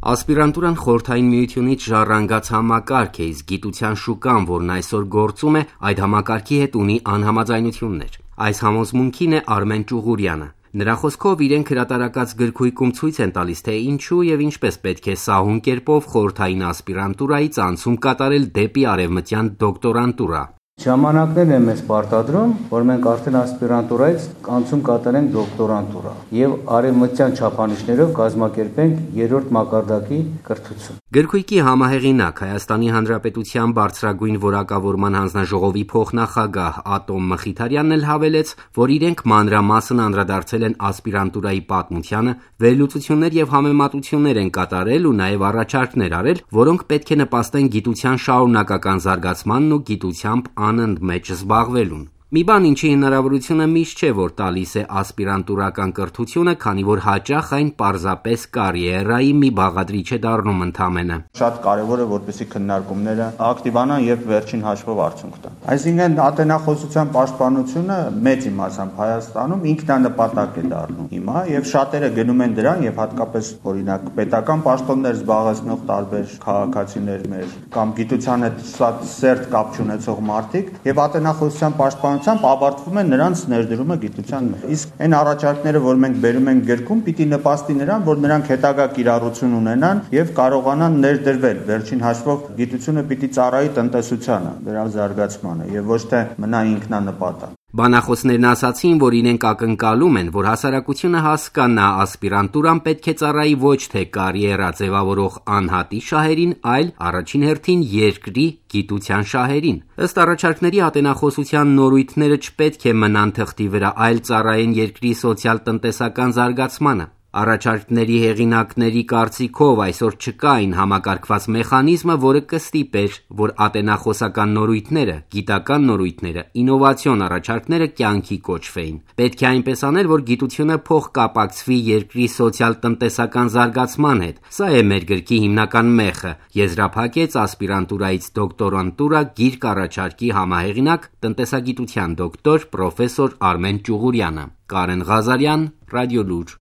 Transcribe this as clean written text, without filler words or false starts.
Ասպիրանտուրան Խորհրդային Միությունից ժառանգած համակարգ է, իսկ գիտության շուկան, որն այսօր գործում է, այդ համակարգի հետ ունի անհամաձայնություններ։ Այս համոզմունքին է Արմեն Ճուղուրյանը։ Նրա խոսքով իրենք հրատարակած գրքույկում ցույց են տալիս, թե ինչու եւ ինչպես պետք է սահուն կերպով խորհրդային ասպիրանտուրայից անցում կատարել դեպի արևմտյան դոկտորանտուրա։ Ժամանակներն է մեզ պարտադրում, որ մենք արդեն ասպիրանտուրայից անցում կատարենք դոկտորանտուրա եւ արևմտյան չափանիշներով կազմակերպենք երրորդ մակարդակի կրթություն։ Գրքույկի համահեղինակ Հայաստանի Հանրապետության բարձրագույն որակավորման հանձնաժողովի փոխնախագահ Ատոմ Մխիթարյանն էլ հավելեց, որ իրենք մանրամասն անդրադարձել են ասպիրանտուրայի պատմությանը, վերլուծություններ եւ համեմատություններ են կատարել ու նաեւ առաջարկներ արել, որոնք պետք է նպաստեն գիտության շարունակական զարգացմանն ու գիտությամբ անընդմեջ զբաղվելուն։ Մի բան, ինչի հնարավորությունը միշտ չէ, որ տալիս է ասպիրանտուրական կրթությունը, քանի որ հաճախ այն պարզապես կարիերայի մի բաղադրիչ է դառնում ընդամենը։ Շատ կարևոր է, որպեսզի քննարկումները ակտիվանան եւ վերջին հաշվով արդյունք տան։ Այսինքն ատենախոսության պաշտպանությունը մեծ իմաստով Հայաստանում ինքնանպատակ է դառնում հիմա եւ շատերը գնում են դրան եւ հատկապես օրինակ պետական պաշտոններ զբաղեցնող տարբեր քաղաքացիներ մեր կամ գիտության հետ սերտ կապ չունեցող մարդիկ եւ ատենախոսության պաշտպանությամբ ավարտվում է նրանց ներդրումը գիտության մեջ։ Իսկ այն առաջարկները, որ մենք բերում ենք գրքում, պիտի նպաստի նրան, որ նրանք հետագա կիրառություն ունենան եւ կարողանան ներդրվել։ Վերջին հաշվով գիտությունը պիտի ծառայի տնտեսությանը, դրա զարգացմանը եւ ոչ թե մնա ինքնանպատակ։ Բանախոսներն ասացին, որ իրենք ակնկալում են, որ հասարակությունը հասկանա ասպիրանտուրան պետք է ծառայի ոչ թե կարիերա ձևավորող անհատի շահերին, այլ առաջին հերթին երկրի գիտության շահերին։ Ըստ առաջարկների ատենախոսության նորույթները չպետք է մնան թղթի վրա, այլ ծառայեն երկրի սոցիալ-տնտեսական զարգացմանը։ Առաջարկների հեղինակների կարծիքով այսօր չկա այն համակարգված մեխանիզմը, որը կստիպեր, որ ատենախոսական նորույթները, գիտական նորույթները, ինովացիոն առաջարկները կյանքի կոչվեին։ Պետք է այնպես անել, որ գիտությունը փոխկապակցվի երկրի սոցիալ-տնտեսական զարգացման հետ։ Սա է մեր գրքի հիմնական մեխը, եզրափակեց ասպիրանտուրայից դոկտորանտուրա գիրք առաջարկի համահեղինակ, տնտեսագիտության դոկտոր պրոֆեսոր Արմեն Ճուղուրյանը։ Կարեն Ղազարյան, Ռադիոլուր։